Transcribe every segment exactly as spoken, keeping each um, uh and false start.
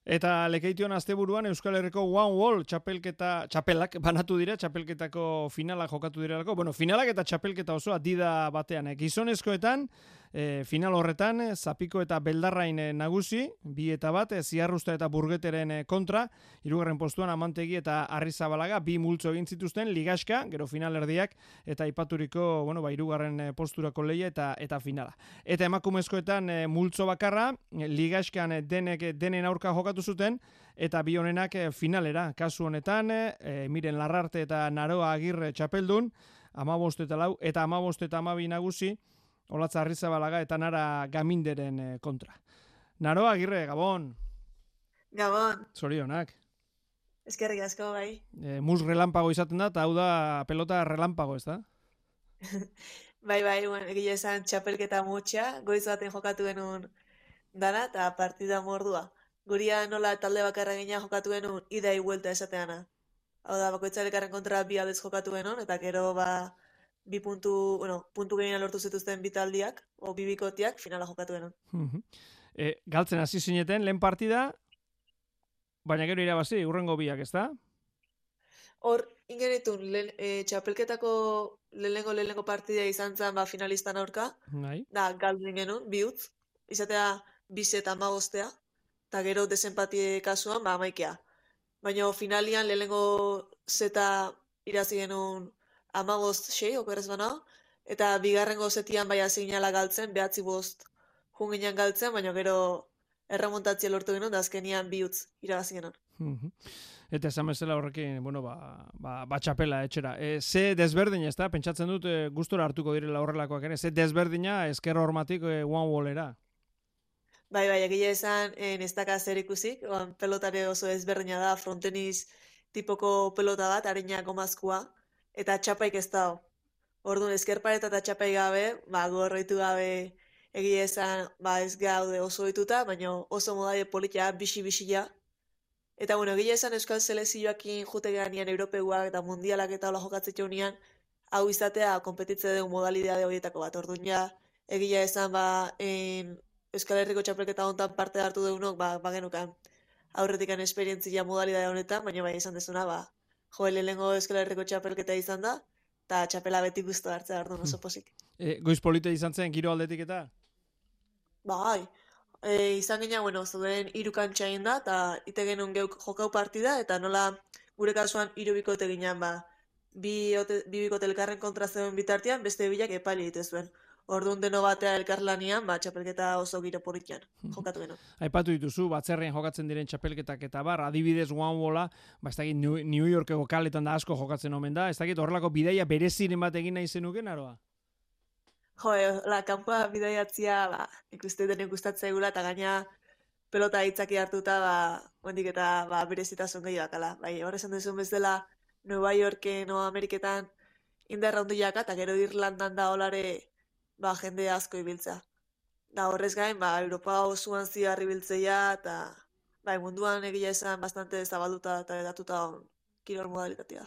Eta lekeition asteburuan Euskal Herriko One Wall txapelketa, txapelak banatu dira, txapelketako finalak jokatu direlako. Bueno, finalak eta txapelketa osoa dida batean. Eh? Gizonezkoetan, eh, final horretan, eh, Zapiko eta Beldarrain eh, nagusi, bi eta bat, eh, Ziarrusta eta Burgeteren eh, kontra, hirugarren postuan Amantegi eta Arrizabalaga, bi multzo egin zituzten, ligaska, gero finalerdiak, eta ipaturiko, bueno, ba, hirugarren eh, posturako leia eta eta finala. Eta emakumezkoetan eh, multzo bakarra, eh, ligaskan eh, denek denen aurka jokatu zuten, eta bi honenak finalera. Kasu honetan, e, miren Larrarte eta Naroa Agirre txapeldun, amabost eta lau, eta amabost eta amabi nagusi, Olatza Arrizabalaga eta Nara Gaminderen kontra. Naroa Agirre, Gabon. Gabon. Zorionak. Eskerrik asko, bai. E, mus relampago izaten da, eta hau da pelota relampago, ez da? bai, bai, bueno, egia esan txapelketa mutxa, goiz baten jokatu genuen dana, eta partida mordua. Guria nola talde bakarra gina jokatu genuen idai huelta esateana. Hau da, bakoitzarekarren kontra bi aldez jokatu genuen, eta gero ba, bi puntu, bueno, puntu gehien lortu zituzten bi taldiak, o bi bikotiak, finala jokatu genuen. e, galtzen hasi zineten, lehen partida, baina gero irabazi, urrengo biak, ez da? Hor, ingenitun, e, txapelketako lehenengo lehenengo partida izan zen ba, finalistan aurka, Nahi. da, galtzen genuen, bi utz, izatea bi eta amagostea, eta gero desenpatie kasuan, ba, amaikea. Baina finalian lehenengo zeta irazi genuen amagost sei, okerrez bana, eta bigarrengo zetian bai aziginala galtzen, behatzi bost junginan galtzen, baina gero erremontatzia lortu genuen, da azkenian bi utz irabazi genuen. Eta esan bezala horrekin, bueno, ba, ba, ba txapela etxera. E, ze desberdina, ez da? Pentsatzen dut, e, gustora hartuko direla horrelakoak ere. Ze desberdina ezker hormatik e, one wallera. Bai, bai, egia esan, ez daka zer ikusik, pelotare oso ezberdina da, frontenis tipoko pelota bat, harina gomazkoa, eta txapaik ez dago. Orduan, ezkerpareta eta txapaik gabe, ba, gorroitu gabe egia esan, ba, ez gaude oso dituta, baina oso modaide politia, bixi-bixia. Eta, bueno, egia esan Euskal Selezioakin jute ganean Europeuak eta Mundialak eta hola jokatzea unian, hau izatea, kompetitze dugu modalidade horietako bat. Orduan, ja, egia esan, ba, en, Euskal Herriko txapelketa hontan parte hartu deunok, ba, ba genukan aurretikan esperientzia modalidade honetan, baina bai izan dezuna, ba, jo, lehenengo Euskal Herriko txapelketa izan da, eta txapela beti guztu hartzea hartu oso posik. E, goiz polita izan zen, giro aldetik eta? Bai, e, izan gina, bueno, zuden hiru kantxain da, eta ite genuen geuk jokau partida, eta nola gure kasuan hiru bikote ginean, ba, bi, ote, bi bikote elkarren kontra zeuden bitartean, beste bilak epaili egite zuen. Orduan deno batea elkarlanian, ba, txapelketa oso giro politian jokatu genuen. Aipatu dituzu, batzerrean jokatzen diren txapelketak eta bar, adibidez one walla, ba, ez dakit New Yorkeko kaletan da asko jokatzen omen da, ez dakit horrelako bidaia bereziren bat egin nahi zenuken, aroa? Jo, la, kanpoa bidaiatzia, ba, ikuste denen gustatzea egula, eta gaina pelota hitzaki hartuta, ba, hondik eta ba, berezitasun gehiago akala. Bai, hor esan duzun bezala, Nueva Yorken o Ameriketan indarra hondiaka, eta gero Irlandan da olare, ba, jende asko ibiltza. Da horrez gain, ba, Europa osoan ziarri biltzeia, eta bai, munduan egia esan bastante zabalduta eta edatuta on kirol modalitatea.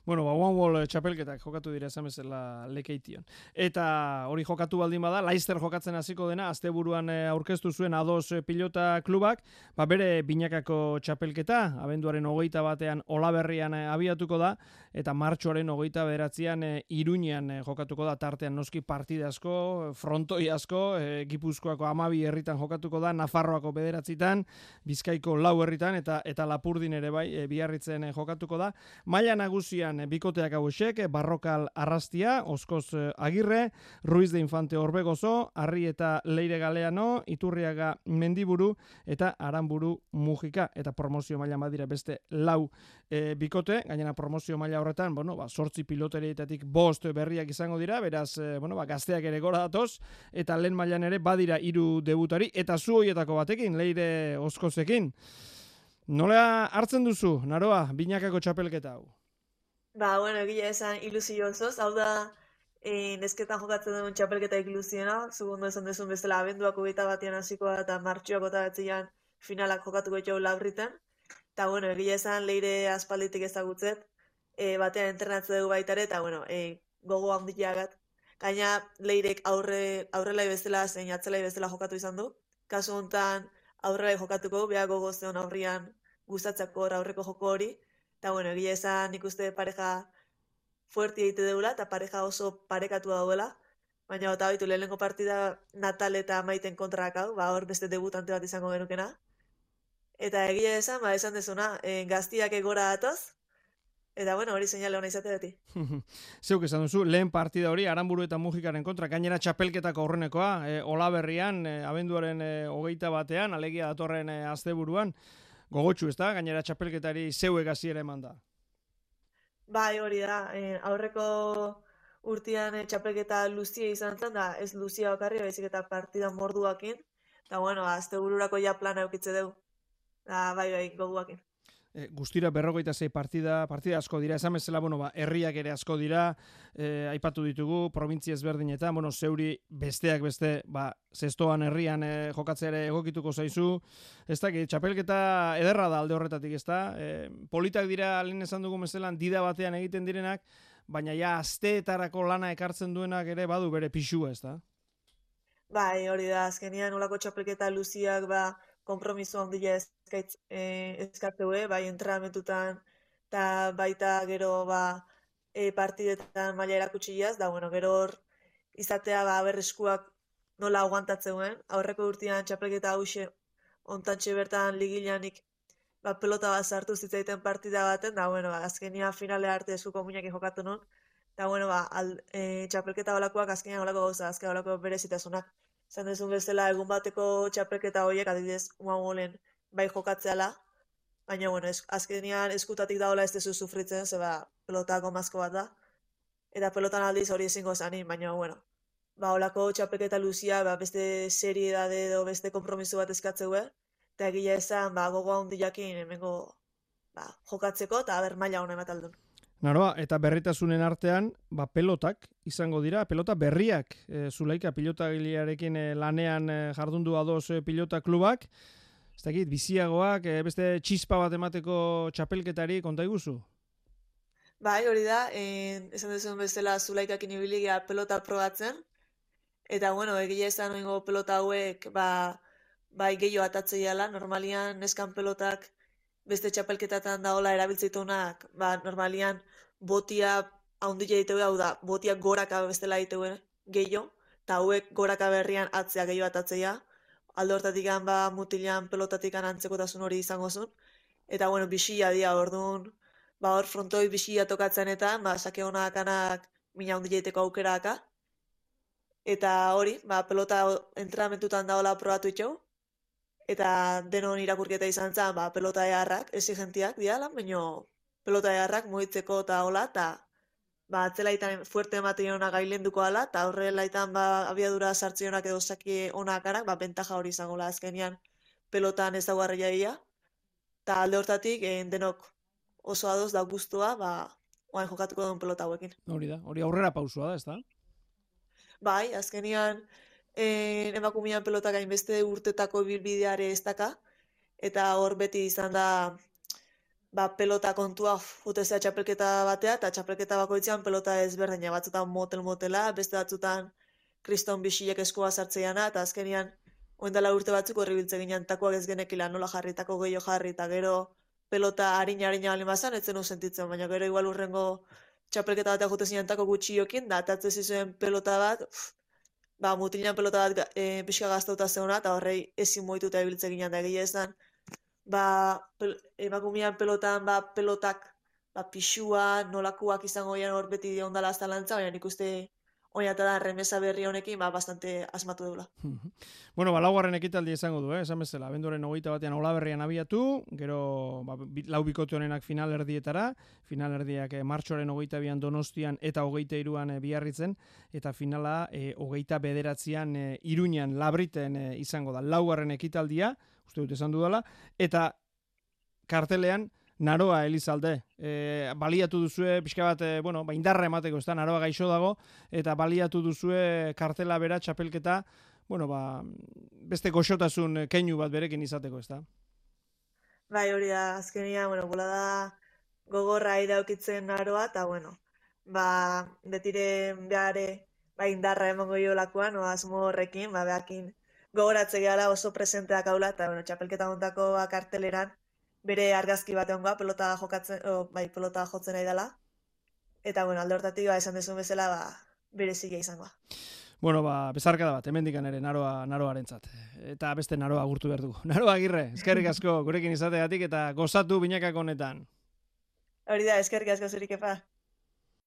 Bueno, ba, one wall txapelketak jokatu dira esan bezala lekeition. Eta hori jokatu baldin bada, Leicester jokatzen hasiko dena, asteburuan aurkeztu zuen ados pilota klubak, ba, bere binakako txapelketa, abenduaren hogeita batean Olaberrian abiatuko da, eta martxoaren hogeita bederatzean Iruñean jokatuko da, tartean noski partida asko, frontoi asko, e, Gipuzkoako hamabi herritan jokatuko da, Nafarroako bederatzitan, Bizkaiko lau herritan, eta eta Lapurdin ere bai, e, Biarritzen jokatuko da. Maila nagusian bikoteak hauexek, Barrokal Arrastia, Oskoz Agirre, Ruiz de Infante Orbegozo, Arri eta Leire Galeano, Iturriaga Mendiburu eta Aranburu Mujika, eta promozio maila badira beste lau e, bikote, gainera promozio maila horretan, bueno, ba, sortzi piloterietatik bost berriak izango dira, beraz, e, bueno, ba, gazteak ere gora datoz, eta lehen mailan ere badira hiru debutari, eta zu hoietako batekin, Leire Oskozekin. Nola hartzen duzu, Naroa, binakako txapelketa hau? Ba, bueno, egia esan ilusio osoz, hau da e, nesketan jokatzen duen txapelketa ilusiona, segundo esan dezun bezala abenduako hogeita batean hasikoa eta martxoako eta batzian finalak jokatuko jau Labriten. Eta, bueno, egia esan Leire aspalditik ezagutzet, e, batean entrenatze dugu baitare, eta, bueno, e, gogo handiagat. Gaina Leirek aurre, aurrelai bezala, zein atzelai bezala jokatu izan du. Kasu honetan, aurrera jokatuko, beha gogozeon aurrian gustatzako aurreko joko hori, eta bueno, egia esan nik uste pareja fuerti egite deula, eta pareja oso parekatua dauela, baina eta baitu lehenengo partida Natal eta Maiten kontrak hau, ba hor beste debutante bat izango genukena, eta egia esan, ba esan dezuna, e, gaztiak egora datoz, eta bueno, hori seinale ona izate beti. Zeuk esan duzu, lehen partida hori Aranburu eta Mujikaren kontra, gainera txapelketako aurrenekoa, e, Olaberrian, e, abenduaren e, hogeita batean, alegia datorren e, asteburuan, gogotsu ez da, gainera txapelketari zeuek hasiera eman da. Bai, hori da, e, aurreko urtean e, txapelketa luzia izan zen, da ez luzia bakarri, baizik eta partida morduakin, eta bueno, astebururako ja plana eukitze dugu, da bai, bai, goguakin. E, guztira berrogeita zei partida, partida asko dira, esan bezala, bueno, ba, herriak ere asko dira, e, aipatu ditugu, provintzia ezberdinetan, bueno, zeuri besteak beste, ba, zestoan herrian e, jokatzea ere egokituko zaizu, ez da, txapelketa ederra da alde horretatik, ez da, e, politak dira, lehen esan dugu mezelan, dida batean egiten direnak, baina ja asteetarako lana ekartzen duenak ere badu bere pixua, ez da? Bai, hori da, azkenian olako txapelketa luziak, ba, kompromiso handia eskaitz, e, eskatzeu, bai entrenamentutan, eta baita gero ba, e, partidetan maila erakutsiaz, da bueno, gero hor izatea ba, berreskuak nola aguantatzeuen, aurreko urtean txapelketa hause ontantxe bertan ligilanik ba, pelota bat sartu zitzaiten partida baten, da bueno, ba, azkenian finale arte eskuko muinak jokatu nun, eta bueno, ba, al, e, txapelketa olakoak azkenian olako gauza, azken olako berezitasunak. Zan dezun bezala egun bateko txapelketa horiek adibidez uamolen bai jokatzeala, baina bueno, es, azkenean eskutatik daola ez dezu sufritzen, zeba pelotako mazko bat da, eta pelotan aldiz hori ezingo zanin, baina bueno, ba olako txapelketa luzia, ba, beste seriedade edo beste kompromiso bat eskatzeue, eta egia esan ba, gogoa hundiakin hemengo ba, jokatzeko eta ber maila hona emataldun. Naroa, eta berritasunen artean, ba, pelotak izango dira, pelota berriak, e, Zulaika pilotagilearekin e, lanean e, jardundu adoz e, pilota klubak, ez dakit, biziagoak, e, beste txispa bat emateko txapelketari konta iguzu? Bai, hori da, e, esan duzuen bezala Zulaikakin ibiligia pelota probatzen, eta bueno, egia esan oingo pelota hauek, ba, bai gehiago atatzeiala, normalian neskan pelotak beste txapelketatan daola erabiltzeitunak, ba, normalian botia haundila egiteu, hau da, botia goraka bestela egiteu gehiago, eta hauek goraka berrian atzea gehiago atatzeia, alde hortatik ba, mutilan pelotatik antzekotasun hori izango zuen, eta bueno, bixia dia, orduan, ba, hor frontoi bixia tokatzen eta, ba, sake honak anak mina haundila egiteko aukeraka, eta hori, ba, pelota entrenamentutan daola probatu itxau, eta denon irakurketa izan zen, ba, pelota eharrak, exigentiak diala, baina pelota eharrak mugitzeko eta hola, eta ba, atzelaitan fuerte ematen hona gailenduko ala, eta horrelaitan ba, abiadura sartzionak edo saki onak anak, ba, bentaja hori izango la azkenian pelotan ez dago arreiaia, eta alde hortatik eh, denok oso adoz da guztua, ba, oain jokatuko duen pelota hauekin. Hori da, hori aurrera pausua da, ez da? Bai, azkenian eh, emakumean pelotak hainbeste urtetako bilbideare ez daka, eta hor beti izan da ba, pelota kontua jutezea txapelketa batea, eta txapelketa bakoitzean pelota ezberdina, batzutan motel-motela, beste batzutan kriston bixilek eskua sartzeiana, eta azkenian oindala urte batzuk horri biltze ginen takoak ez genekila nola jarri, tako gehiago jarri, eta gero pelota harina-harina bali mazan, etzen sentitzen, baina gero igual urrengo txapelketa batea jute zinean tako gutxiokin, da atatzen zizuen pelota bat, pff, ba, mutilan pelota bat e, pixka gaztauta zeuna, eta horrei ezin moituta ebiltze ginen, da egia esan, ba, pel, emakumean pelotan, ba, pelotak, ba, pixua, nolakuak izango gian hor beti ondala azalantza, baina nik uste oinata da remesa berri honekin, ba, bastante asmatu deula. Bueno, ba, laugarren ekitaldi izango du, eh? Esan bezala, abenduaren hogeita batean Olaberrian abiatu, gero ba, lau bikote honenak finalerdietara, finalerdiak eh, martxoren hogeita bian Donostian eta hogeita iruan eh, Biarritzen, eta finala eh, hogeita bederatzian eh, Iruñan, Labriten eh, izango da. Laugarren ekitaldia, uste dut esan dudala, eta kartelean Naroa Elizalde, e, baliatu duzue, pixka bat, e, bueno, ba, indarra emateko, ez da, Naroa gaixo dago, eta baliatu duzue kartela bera txapelketa, bueno, ba, beste goxotasun keinu bat berekin izateko, ez da? Bai, hori da, azkenia, bueno, bola da gogorra iraukitzen Naroa, eta, bueno, ba, betire behare, ba, indarra emango jo lakoan, no, asmo horrekin, ba, behakin gogoratze gehala oso presenteak haula, eta bueno, txapelketa hontako karteleran bere argazki bat egongoa, pelota jokatzen, o, bai, pelota jotzen nahi dela. Eta bueno, alde hortatik ba, esan dezun bezala, ba, berezia izangoa. Bueno, ba, bezarkada bat, hemendikan ere naroa, naroarentzat. Eta beste naroa agurtu behar dugu. Naroa Agirre, eskerrik asko gurekin izategatik eta gozatu binakako honetan. Hori da, eskerrik asko zurik epa.